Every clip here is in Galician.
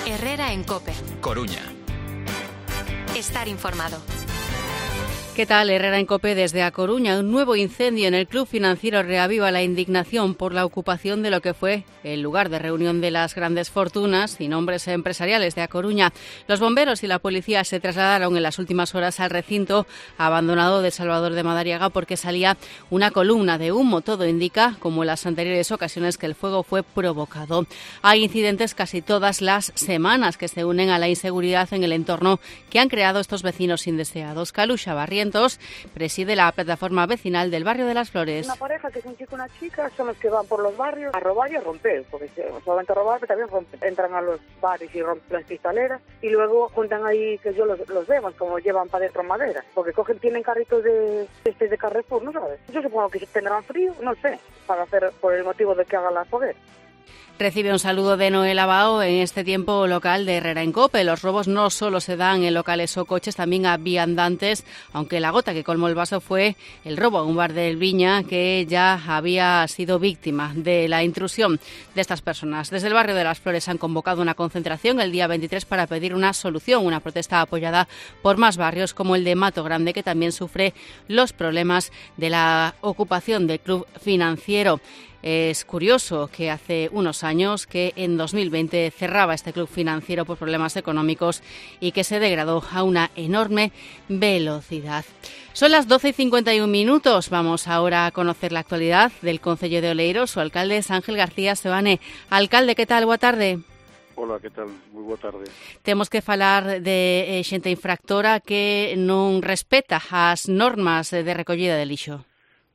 Herrera en COPE. Coruña. Estar informado. ¿Qué tal? Herrera en COPE desde A Coruña. Un nuevo incendio en el Club Financiero reaviva la indignación por la ocupación de lo que fue el lugar de reunión de las grandes fortunas y nombres empresariales de A Coruña. Los bomberos y la policía se trasladaron en las últimas horas al recinto abandonado de Salvador de Madariaga porque salía una columna de humo. Todo indica, como en las anteriores ocasiones, que el fuego fue provocado. Hay incidentes casi todas las semanas que se unen a la inseguridad en el entorno que han creado estos vecinos indeseados. Caluxa Barrientos preside la plataforma vecinal del barrio de Las Flores. Una pareja que es un chico y una chica son los que van por los barrios a robar y a romper, porque solamente a robar, pero también rompen. Entran a los bares y rompen las cristaleras y luego juntan ahí, que yo los vemos, como llevan para dentro madera, porque tienen carritos de Carrefour, ¿no sabes? Yo supongo que tendrán frío, no sé, para hacer por el motivo de que hagan la foguera. Recibe un saludo de Noel Abao en este tiempo local de Herrera en COPE. Los robos no solo se dan en locales o coches, también a viandantes, aunque la gota que colmó el vaso fue el robo a un bar del Viña que ya había sido víctima de la intrusión de estas personas. Desde el barrio de Las Flores han convocado una concentración el día 23 para pedir una solución, una protesta apoyada por más barrios como el de Mato Grande, que también sufre los problemas de la ocupación del Club Financiero. Es curioso que hace unos años, que en 2020 cerraba este club financiero por problemas económicos y que se degradó a una enorme velocidad. Son las 12:51. Vamos ahora a conocer la actualidad del Concello de Oleiros. Su alcalde es Ángel García Seoane. Alcalde, ¿qué tal? Boa tarde. Hola, que tal? Moi boa tarde. Temos que falar de xente infractora que non respeta as normas de recollida de lixo.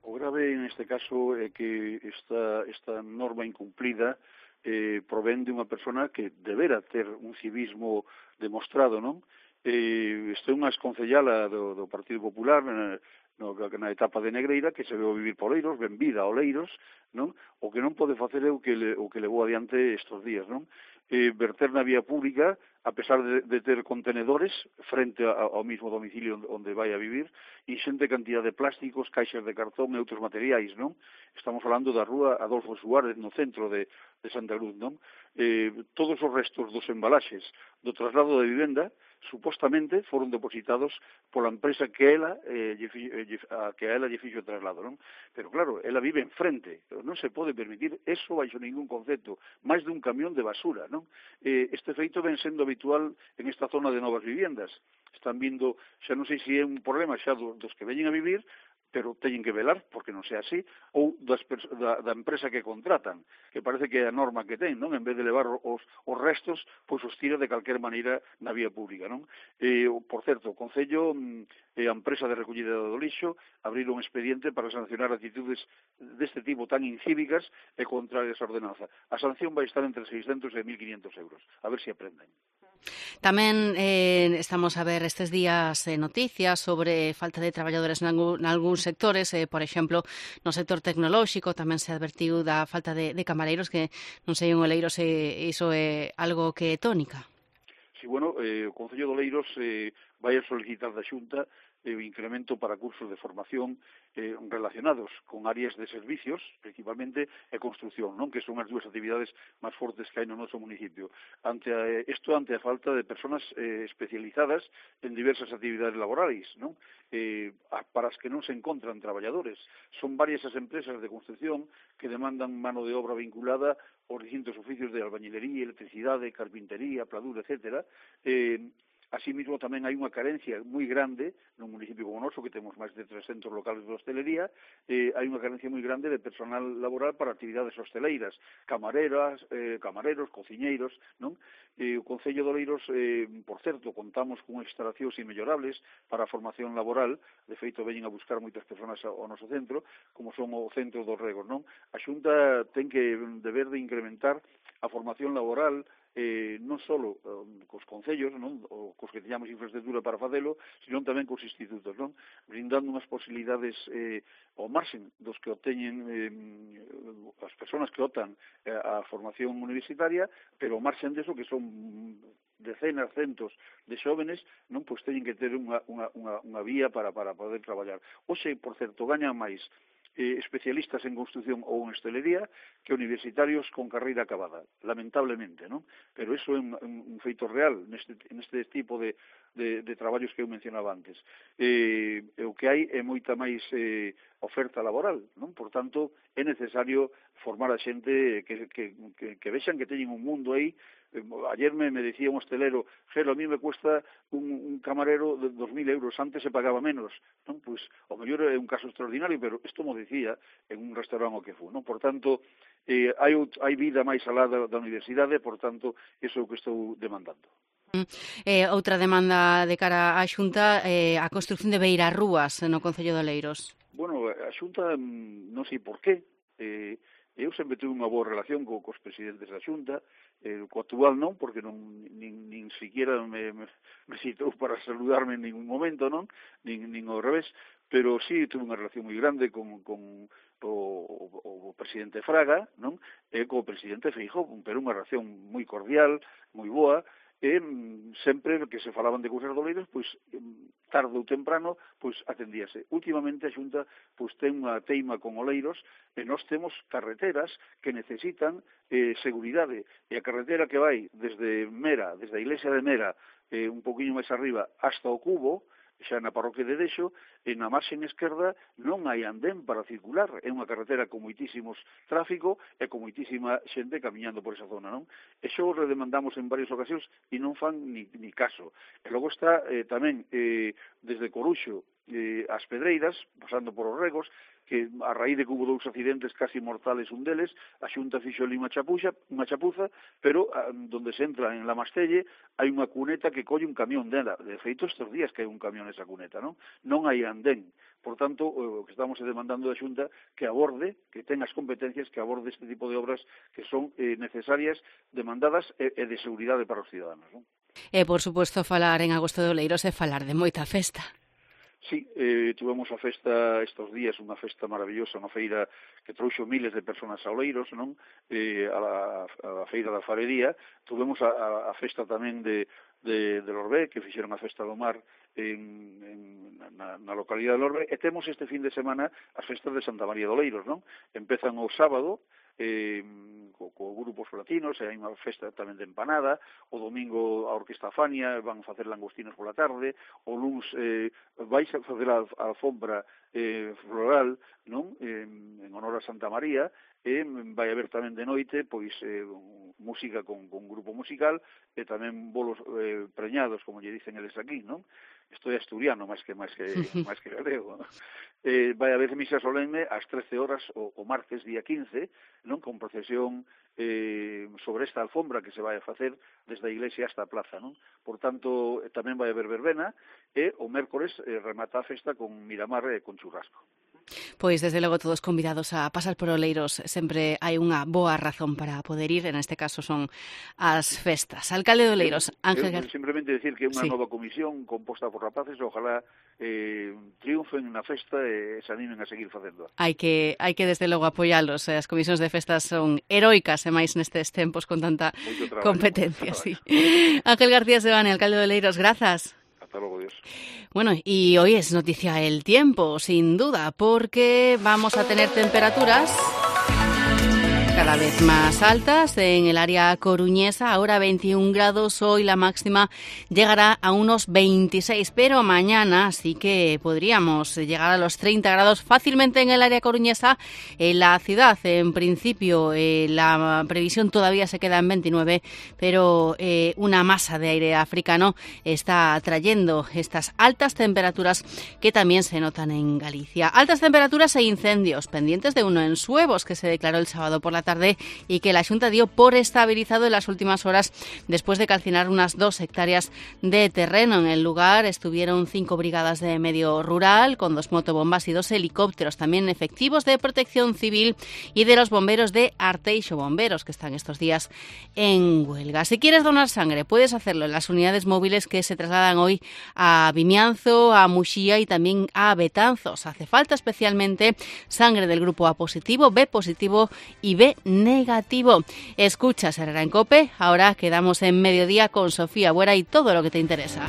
O grave neste caso é que esta norma incumplida provén de unha persona que debera ter un civismo demostrado, non? Este é unha exconcellala do Partido Popular na etapa de Negreira, que se veu vivir por Oleiros, ben vida a Oleiros, non? O que non pode facer é o que levou adiante estes días, non? Verter na vía pública, a pesar de ter contenedores frente ao mismo domicilio onde vai a vivir, inxente cantidad de plásticos, caixas de cartón e outros materiais, non? Estamos falando da rúa Adolfo Suárez, no centro de Santa Cruz, non? Todos os restos dos embalaxes do traslado de vivenda supostamente foron depositados pola empresa que a ela lle fixo o traslado, non? Pero claro, ela vive enfrente, non se pode permitir eso baixo ningún concepto, máis dun camión de basura, non? Este feito ven sendo habitual en esta zona de novas viviendas. Están vindo, xa non sei se é un problema xa dos que veñen a vivir, pero teñen que velar porque non sea así, ou da empresa que contratan, que parece que é a norma que ten, non? En vez de levar os restos, pois os tira de calquer maneira na vía pública, non? Por certo, o Concello e a empresa de recollida do lixo abriron un expediente para sancionar actitudes deste tipo tan incívicas e contrarias á ordenanza. A sanción vai estar entre 600 e 1.500 euros. A ver se aprenden. Tamén estamos a ver estes días noticias sobre falta de traballadores nalgúns sectores, por exemplo, no sector tecnolóxico tamén se advertiu da falta de camareiros, que non sei en Oleiros se iso é algo que é tónica. Sí, bueno, o Concello de Oleiros vai a solicitar da Xunta o incremento para cursos de formación relacionados con áreas de servicios, principalmente, e construcción, non? Que son as dúas actividades máis fortes que hai no noso municipio. Ante a falta de personas especializadas en diversas actividades laborais, non? Para as que non se encontran traballadores. Son varias as empresas de construcción que demandan mano de obra vinculada aos distintos oficios de albañilería, electricidade, carpintería, pladura, etcétera. Así mismo tamén hai unha carencia moi grande nun municipio como o noso, que temos máis de 300 locales de hostelería, hai unha carencia moi grande de personal laboral para actividades hosteleiras, camareros, cociñeiros, non? O Concello de Oleiros, por certo, contamos con instalacións inmellorables para a formación laboral, de feito veñen a buscar moitas persoas ao noso centro, como son o centro dos regos, non? A Xunta ten que deber de incrementar a formación laboral non só cos concellos, non, ou cos que teñamos infraestructura para facelo, senón tamén cos institutos, non, brindando unhas posibilidades ao marxen dos que obteñen as persoas que optan a formación universitaria, pero ao marxen deso que son decenas, centos de xóvenes, non, pois teñen que ter unha vía para poder traballar. Hoxe, por certo, gañan máis especialistas en construción ou en hostelería que universitarios con carreira acabada, lamentablemente, non? Pero iso é un feito real neste tipo de traballos que eu mencionaba antes. O que hai é moita máis oferta laboral, non? Por tanto, é necesario formar a xente que vexan que teñen un mundo aí. Ayer me decía un hostelero, Gelo, a mí me cuesta un camarero de 2.000 euros, antes se pagaba menos, non? Pois, o mellor é un caso extraordinario, pero isto mo decía en un restaurante o que fu, non? Por tanto, hai vida máis alá da universidade, por tanto, iso é o que estou demandando. Outra demanda de cara á Xunta, a construción de beirarrúas no Concello de Oleiros. Bueno, a Xunta, non sei por qué, eu sempre tuve unha boa relación cos presidentes da Xunta, co actual non, porque nin siquiera me citou para saludarme en ningún momento, non, nin ao revés, pero sí tuve unha relación moi grande con o presidente Fraga, non, e co presidente Feijóo, pero unha relación moi cordial, moi boa, e sempre que se falaban de cousas de Oleiros, pois tarde ou temprano, pois atendíase. Últimamente a Xunta pois ten unha teima con Oleiros e nós temos carreteras que necesitan seguridade. E a carretera que vai desde Mera, desde a iglesia de Mera, un poquinho máis arriba, hasta o Cubo, xa na parroquia de Dexo, e na marxen esquerda non hai andén para circular. É unha carretera con moitísimos tráfico e con moitísima xente camiñando por esa zona, non? E xo o redemandamos en varias ocasións e non fan ni caso. E logo está tamén desde Coruxo as Pedreiras, pasando por os Regos, que a raíz de que hubo 2 accidentes casi mortales un deles, a Xunta fixo ali unha chapuza, pero donde se entra en La Mastelle hai unha cuneta que colle un camión dela. De feito, estes días que hai un camión nesa cuneta, non? Non hai andén. Por tanto, o que estamos demandando da Xunta que aborde, que ten as competencias, que aborde este tipo de obras que son necesarias, demandadas e de seguridade para os ciudadanos, non? E, por suposto, falar en agosto de Oleiros é falar de moita festa. Sí, tivemos a festa estes días, unha festa maravillosa, unha feira que trouxo miles de personas a Oleiros, non? A feira da farería. Tivemos a festa tamén de Lorbe, que fixeron a festa do mar na localidade de Lorbe, e temos este fin de semana as festas de Santa María de Oleiros, non? Empezan o sábado, co grupos latinos, e hai unha festa tamén de empanada, o domingo a Orquesta Fania van a facer langostinos pola tarde, o luns vais a facer a alfombra floral, non? En honor a Santa María, e vai haber tamén de noite pois música con grupo musical e tamén bolos preñados, como lle dicen eles aquí, non? Isto é asturiano máis que galego. Vai haber misa solemne ás 13 horas o martes día 15, non, con procesión sobre esta alfombra que se vai a facer desde a iglesia hasta a plaza, non? Por tanto, tamén vai haber verbena e o mércores remata a festa con Miramar e con churrasco. Pois, desde logo, todos convidados a pasar por Oleiros. Sempre hai unha boa razón para poder ir, en este caso son as festas. Alcalde de Oleiros, Ángel García. Simplemente decir que é unha nova comisión composta por rapaces, ojalá triunfen na festa e se animen a seguir facendo. Hai que desde logo apoialos. As comisións de festas son heroicas, e máis nestes tempos con tanta competencia. Sí. Ángel García Sebane, alcalde de Oleiros, grazas. Hasta luego, Dios. Bueno, y hoy es noticia el tiempo, sin duda, porque vamos a tener temperaturas cada vez más altas en el área coruñesa. Ahora 21 grados, hoy la máxima llegará a unos 26, pero mañana sí que podríamos llegar a los 30 grados fácilmente en el área coruñesa. En la ciudad, en principio, la previsión todavía se queda en 29, pero una masa de aire africano está trayendo estas altas temperaturas que también se notan en Galicia. Altas temperaturas e incendios pendientes de uno en Suevos, que se declaró el sábado por la tarde y que la Xunta dio por estabilizado en las últimas horas después de calcinar unas 2 hectáreas de terreno. En el lugar estuvieron 5 brigadas de medio rural con 2 motobombas y 2 helicópteros, también efectivos de protección civil y de los bomberos de Arteixo Bomberos, que están estos días en huelga. Si quieres donar sangre, puedes hacerlo en las unidades móviles que se trasladan hoy a Vimianzo, a Muxía y también a Betanzos. Hace falta especialmente sangre del grupo A positivo, B positivo y B negativo. Escuchas Herrera en COPE. Ahora quedamos en Mediodía con Sofía Buera y todo lo que te interesa.